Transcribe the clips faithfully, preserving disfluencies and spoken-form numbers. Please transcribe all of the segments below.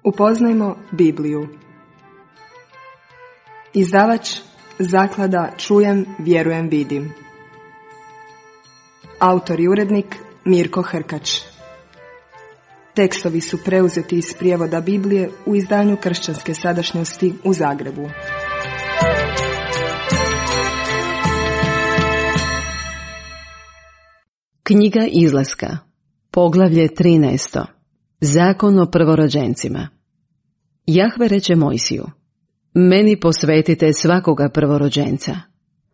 Upoznajmo Bibliju. Izdavač Zaklada Čujem, vjerujem, vidim. Autor i urednik Mirko Hrkač. Tekstovi su preuzeti iz prijevoda Biblije u izdanju Kršćanske sadašnjosti u Zagrebu. Knjiga Izlaska, poglavlje trinaesto. Zakon o prvorođencima. Jahve reče Mojsiju: meni posvetite svakoga prvorođenca.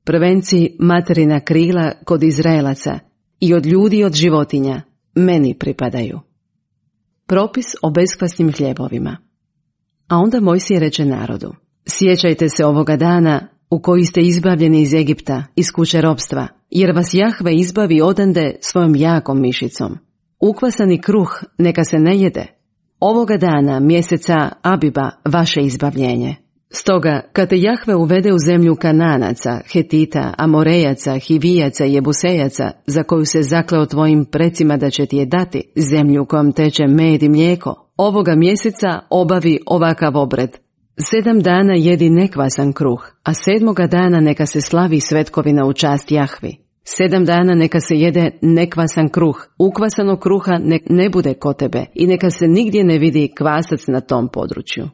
Prvenci materina krila kod Izraelaca i od ljudi i od životinja meni pripadaju. Propis o beskvasnim hljebovima. A onda Mojsije reče narodu: sjećajte se ovoga dana u koji ste izbavljeni iz Egipta, iz kuće ropstva, jer vas Jahve izbavi odande svojom jakom mišicom. Ukvasani kruh neka se ne jede. Ovoga dana mjeseca Abiba vaše izbavljenje. Stoga, kad te Jahve uvede u zemlju Kananaca, Hetita, Amorejaca, Hivijaca i Jebusejaca, za koju se zakleo tvojim precima da će ti je dati, zemlju kojom teče med i mlijeko, ovoga mjeseca obavi ovakav obred. Sedam dana jedi nekvasan kruh, a sedmoga dana neka se slavi svetkovina u čast Jahvi. Sedam dana neka se jede nekvasan kruh, ukvasanog kruha nek ne bude kod tebe i neka se nigdje ne vidi kvasac na tom području.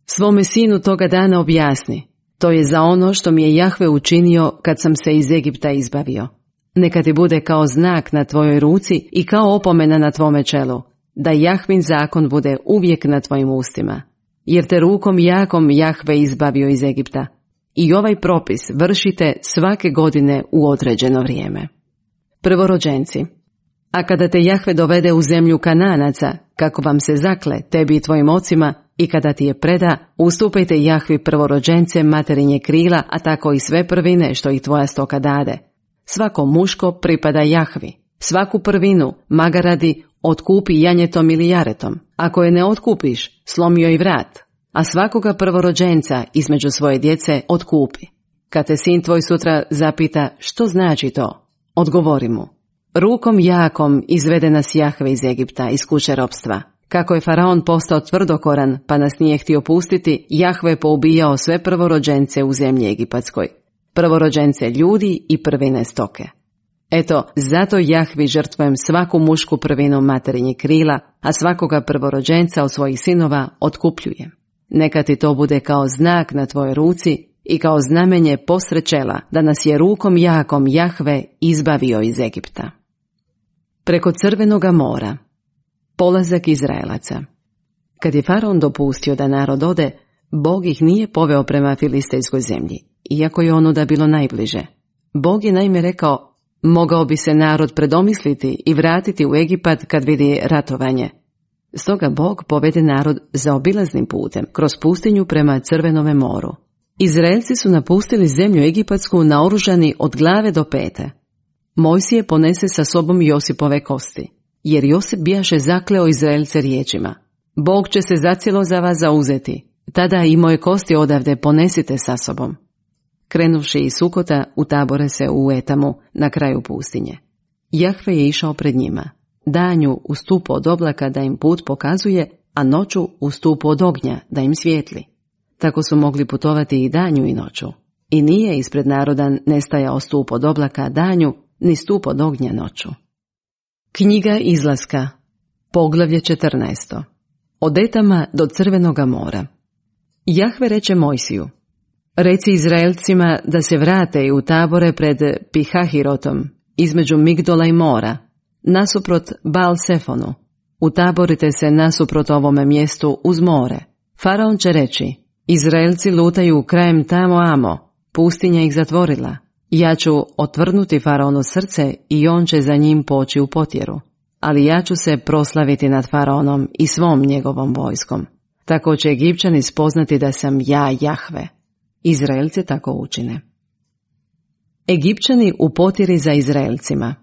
Svome sinu toga dana objasni: to je za ono što mi je Jahve učinio kad sam se iz Egipta izbavio. Neka ti bude kao znak na tvojoj ruci i kao opomena na tvome čelu, da Jahvin zakon bude uvijek na tvojim ustima. Jer te rukom jakom Jahve izbavio iz Egipta. I ovaj propis vršite svake godine u određeno vrijeme. Prvorođenci. A kada te Jahve dovede u zemlju Kananaca, kako vam se zakle, tebi i tvojim ocima, i kada ti je preda, ustupajte Jahvi prvorođence materinje krila, a tako i sve prvine što ih tvoja stoka dade. Svako muško pripada Jahvi. Svaku prvinu, magaradi, otkupi janjetom ili jaretom. Ako je ne otkupiš, slomi joj vrat. A svakoga prvorođenca između svoje djece otkupi. Kad te sin tvoj sutra zapita što znači to, odgovori mu: rukom jakom izvede nas Jahve iz Egipta, iz kuće ropstva. Kako je faraon postao tvrdokoran pa nas nije htio pustiti, Jahve je poubijao sve prvorođence u zemlji egipatskoj, prvorođence ljudi i prvine stoke. Eto, zato Jahvi žrtvujem svaku mušku prvinu materinje krila, a svakoga prvorođenca od svojih sinova otkupljujem. Neka ti to bude kao znak na tvojoj ruci i kao znamenje posred čela, da nas je rukom jakom Jahve izbavio iz Egipta. Preko Crvenoga mora. Polazak Izraelaca. Kad je faraon dopustio da narod ode, Bog ih nije poveo prema filistejskoj zemlji, iako je ono da bilo najbliže. Bog je naime rekao: mogao bi se narod predomisliti i vratiti u Egipat kad vidi ratovanje. Stoga Bog povede narod zaobilaznim putem, kroz pustinju prema Crvenome moru. Izraelci su napustili zemlju egipatsku naoružani od glave do pete. Mojsije ponese sa sobom Josipove kosti, jer Josip bijaše zakleo Izraelce riječima: Bog će se zacijelo za vas zauzeti, tada i moje kosti odavde ponesite sa sobom. Krenuvši iz Sukota, utabore se u Etamu, na kraju pustinje. Jahve je išao pred njima, danju u stupu od oblaka da im put pokazuje, a noću u stupu od ognja da im svijetli. Tako su mogli putovati i danju i noću. I nije ispred naroda nestajao stup od oblaka danju, ni stup od ognja noću. Knjiga Izlaska, poglavlje četrnaesto. Od Etama do Crvenoga mora. Jahve reče Mojsiju: reci Izraelcima da se vrate i utabore pred Pihahirotom, između Migdola i mora, nasuprot Baal-Sefonu. Utaborite se nasuprot ovome mjestu uz more. Faraon će reći: Izraelci lutaju krajem tamo amo, pustinja ih zatvorila. Ja ću otvrnuti faraonu srce i on će za njim poći u potjeru. Ali ja ću se proslaviti nad faraonom i svom njegovom vojskom. Tako će Egipćani spoznati da sam ja Jahve. Izraelci tako učine. Egipćani u potjeri za Izraelcima.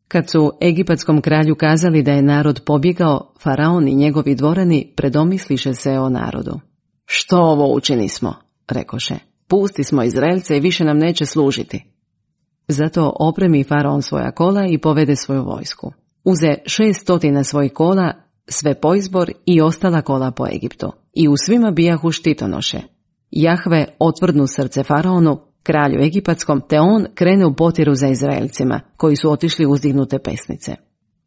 Kad su egipatskom kralju kazali da je narod pobjegao, faraon i njegovi dvorani predomisliše se o narodu. Što ovo učini smo, rekoše. Pusti smo Izraelce i više nam neće služiti. Zato opremi faraon svoja kola i povede svoju vojsku. Uze šest stotina svojih kola, sve poizbor i ostala kola po Egiptu, i u svima bijahu štitonoše. Jahve otvrdnu srce faraonu, kralju egipatskom, te on krene u potjeru za Izraelcima, koji su otišli uzdignute pesnice.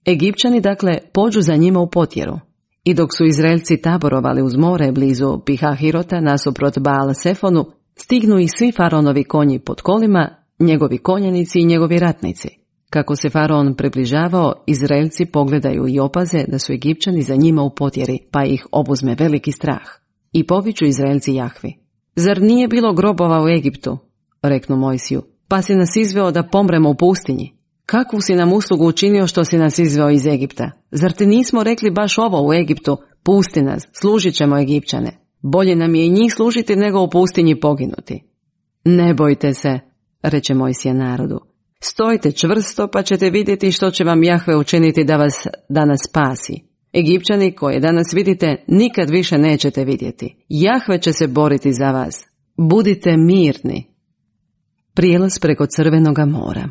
Egipćani dakle pođu za njima u potjeru, i dok su Izraelci taborovali uz more blizu Pihahirota nasuprot Baal Sefonu, stignu i svi faraonovi konji pod kolima, njegovi konjanici i njegovi ratnici. Kako se faraon približavao, Izraelci pogledaju i opaze da su Egipćani za njima u potjeri, pa ih obuzme veliki strah. I poviču Izraelci Jahvi: Zar nije bilo grobova u Egiptu? Reknu Mojsiju: Pa si nas izveo da pomremo u pustinji. Kakvu si nam uslugu učinio što si nas izveo iz Egipta? Zar ti nismo rekli baš ovo u Egiptu: Pusti nas, služit ćemo Egipćane. Bolje nam je i njih služiti nego u pustinji poginuti. Ne bojte se, reče Mojsije narodu. Stojite čvrsto, pa ćete vidjeti što će vam Jahve učiniti da vas danas spasi. Egipćani koje danas vidite nikad više nećete vidjeti. Jahve će se boriti za vas. Budite mirni. Prijelaz preko Crvenoga mora.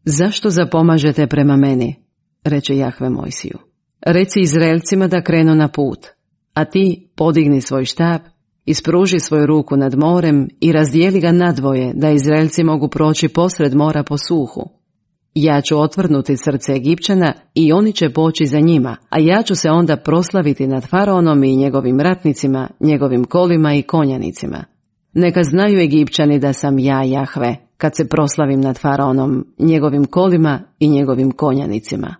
Zašto zapomažete prema meni? Reče Jahve Mojsiju. Reci Izraelcima da krenu na put, a ti podigni svoj štap, ispruži svoju ruku nad morem i razdijeli ga nadvoje, da Izraelci mogu proći posred mora po suhu. Ja ću otvrnuti srce Egipćana i oni će poći za njima, a ja ću se onda proslaviti nad faraonom i njegovim ratnicima, njegovim kolima i konjanicima. Neka znaju Egipćani da sam ja Jahve, kad se proslavim nad faraonom, njegovim kolima i njegovim konjanicima.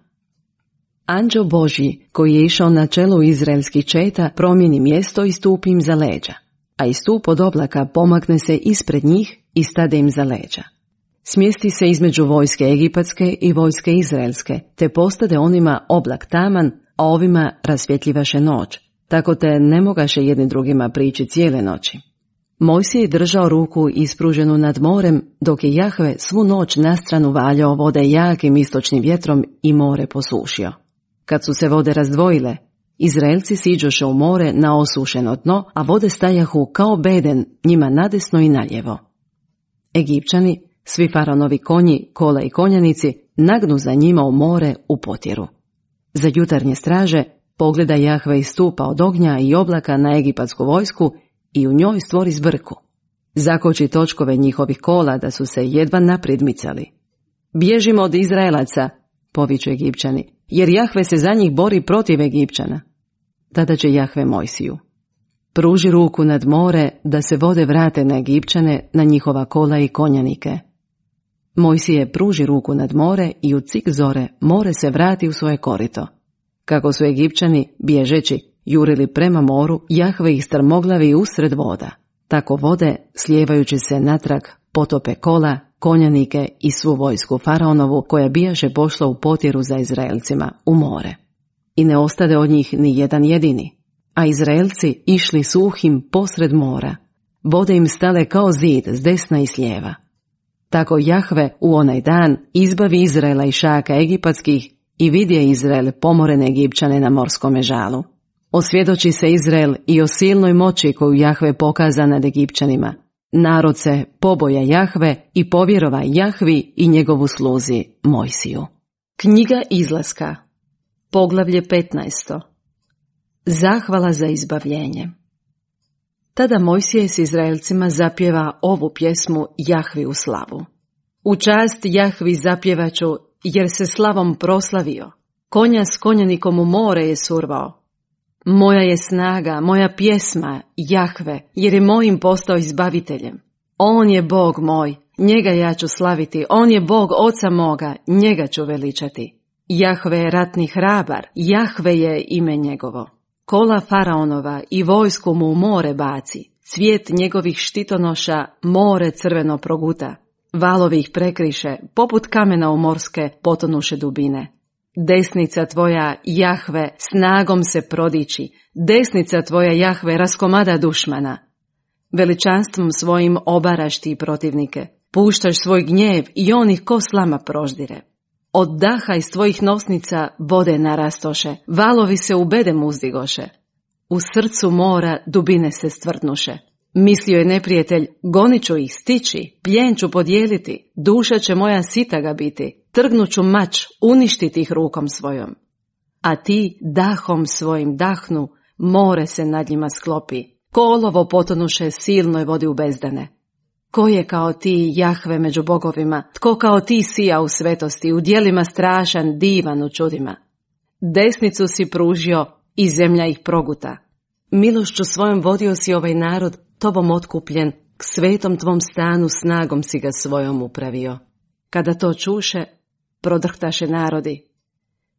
Anđeo Božji, koji je išao na čelu izraelskih četa, promijeni mjesto i stupi im za leđa, a i stup od oblaka pomakne se ispred njih i stade im za leđa. Smjesti se između vojske egipatske i vojske izraelske, te postade onima oblak taman, a ovima rasvjetljivaše noć, tako te ne mogaše jedni drugima prići cijele noći. Mojsije je držao ruku ispruženu nad morem, dok je Jahve svu noć nastranu valjao vode jakim istočnim vjetrom i more posušio. Kad su se vode razdvojile, Izraelci siđoše u more na osušeno dno, a vode stajahu kao beden njima nadesno i naljevo. Egipćani, svi faraonovi konji, kola i konjanici, nagnu za njima u more u potjeru. Za jutarnje straže pogleda Jahve iz stupa od ognja i oblaka na egipatsku vojsku i u njoj stvori zbrku. Zakoči točkove njihovih kola da su se jedva naprijed micali. Bježimo od Izraelaca, poviču Egipćani, jer Jahve se za njih bori protiv Egipćana. Tada će Jahve Mojsiju: Pruži ruku nad more da se vode vrate na Egipćane, na njihova kola i konjanike. Mojsije pruži ruku nad more i u cik zore more se vrati u svoje korito. Kako su Egipćani, bježeći, jurili prema moru, Jahve ih strmoglavi usred voda. Tako vode, slijevajući se natrag, potope kola, konjanike i svu vojsku faraonovu, koja bijaše pošla u potjeru za Izraelcima u more. I ne ostade od njih ni jedan jedini, a Izraelci išli suhim posred mora. Vode im stale kao zid s desna i s lijeva. Tako Jahve u onaj dan izbavi Izraela i šaka egipatskih i vidje Izrael pomorene Egipćane na morskome žalu. Osvjedoči se Izrael i o silnoj moći koju Jahve pokaza nad Egipćanima. Narod se poboja Jahve i povjerova Jahvi i njegovu sluzi Mojsiju. Knjiga Izlaska, poglavlje petnaesto. Zahvala za izbavljenje. Tada Mojsije s Izraelcima zapjeva ovu pjesmu Jahvi u slavu. U čast Jahvi zapjevaću, jer se slavom proslavio. Konja s konjanikom u more je survao. Moja je snaga, moja pjesma, Jahve, jer je mojim postao izbaviteljem. On je Bog moj, njega ja ću slaviti, on je Bog oca moga, njega ću veličati. Jahve je ratni hrabar, Jahve je ime njegovo. Kola faraonova i vojsku mu u more baci, cvijet njegovih štitonoša more crveno proguta. Valovi ih prekriše, poput kamena u morske potonuše dubine. Desnica tvoja, Jahve, snagom se prodiči, desnica tvoja, Jahve, raskomada dušmana. Veličanstvom svojim obaraš ti protivnike, puštaš svoj gnjev i on ih ko slama proždire. Od daha iz tvojih nosnica vode narastoše, valovi se u bedem uzdigoše. U srcu mora dubine se stvrdnuše. Mislio je neprijatelj, gonit ću ih stići, plijen ću podijeliti, duša će moja sita ga biti, trgnut ću mač, uništiti ih rukom svojom. a ti dahom svojim dahnu, more se nad njima sklopi, ko olovo potonuše silnoj vodi u bezdane. Ko je kao ti, Jahve, među bogovima, tko kao ti sija u svetosti, u djelima strašan, divan u čudima. Desnicu si pružio i zemlja ih proguta. Milošću svojom vodio si ovaj narod, tobom otkupljen, k svetom tvom stanu snagom si ga svojom upravio. Kada to čuše, prodrhtaše narodi.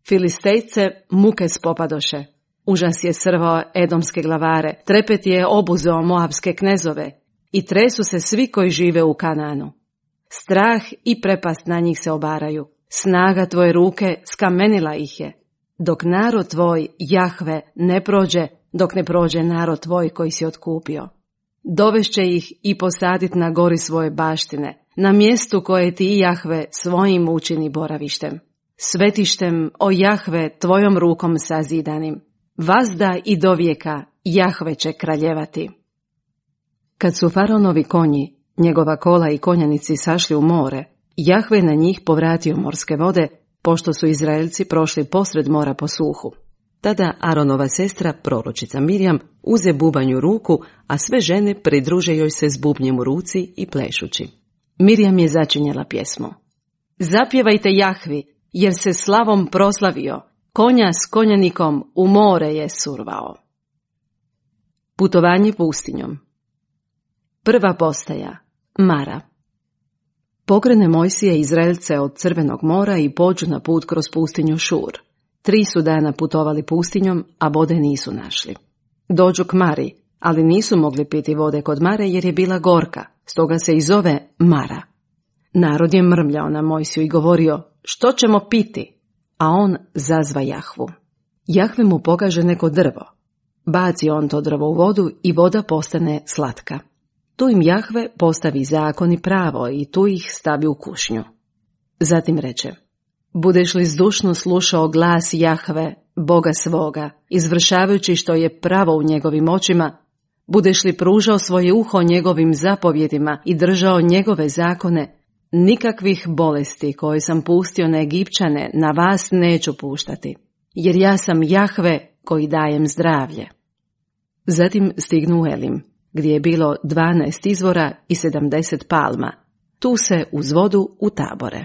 Filistejce muke spopadoše. Užas je srvao edomske glavare, trepet je obuzeo moabske knezove i tresu se svi koji žive u Kananu. Strah i prepast na njih se obaraju. Snaga tvoje ruke skamenila ih je. Dok narod tvoj, Jahve, ne prođe, dok ne prođe narod tvoj koji si otkupio. Dovešće ih i posadit na gori svoje baštine, na mjestu koje ti, Jahve, svojim učini boravištem. Svetištem, o Jahve, tvojom rukom sazidanim. Vazda i dovijeka Jahve će kraljevati. Kad su faraonovi konji, njegova kola i konjanici sašli u more, Jahve na njih povratio morske vode, pošto su Izraelci prošli posred mora po suhu. Tada Aronova sestra, proročica Mirjam, uze bubanj u ruku, a sve žene pridruže joj se s bubnjem u ruci i plešući. Mirjam je začinjela pjesmu. Zapjevajte Jahvi, jer se slavom proslavio, konja s konjanikom u more je survao. Putovanje pustinjom. Prva postaja, Mara. Pokrene Mojsije Izraelce od Crvenog mora i pođu na put kroz pustinju Šur. Tri su dana putovali pustinjom, a vode nisu našli. Dođu k Mari, ali nisu mogli piti vode kod Mare jer je bila gorka, stoga se i zove Mara. Narod je mrmljao na Mojsiju i govorio, što ćemo piti? A on zazva Jahvu. Jahve mu pokaže neko drvo. Baci on to drvo u vodu i voda postane slatka. Tu im Jahve postavi zakon i pravo i tu ih stavi u kušnju. Zatim reče, budeš li zdušno slušao glas Jahve, Boga svoga, izvršavajući što je pravo u njegovim očima, budeš li pružao svoje uho njegovim zapovjedima i držao njegove zakone, nikakvih bolesti koje sam pustio na Egipćane na vas neću puštati, jer ja sam Jahve koji dajem zdravlje. Zatim stignu u Elim, gdje je bilo dvanaest izvora i sedamdeset palma. Tu se uz vodu utabore.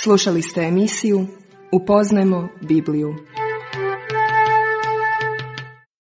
Slušali ste emisiju Upoznajmo Bibliju.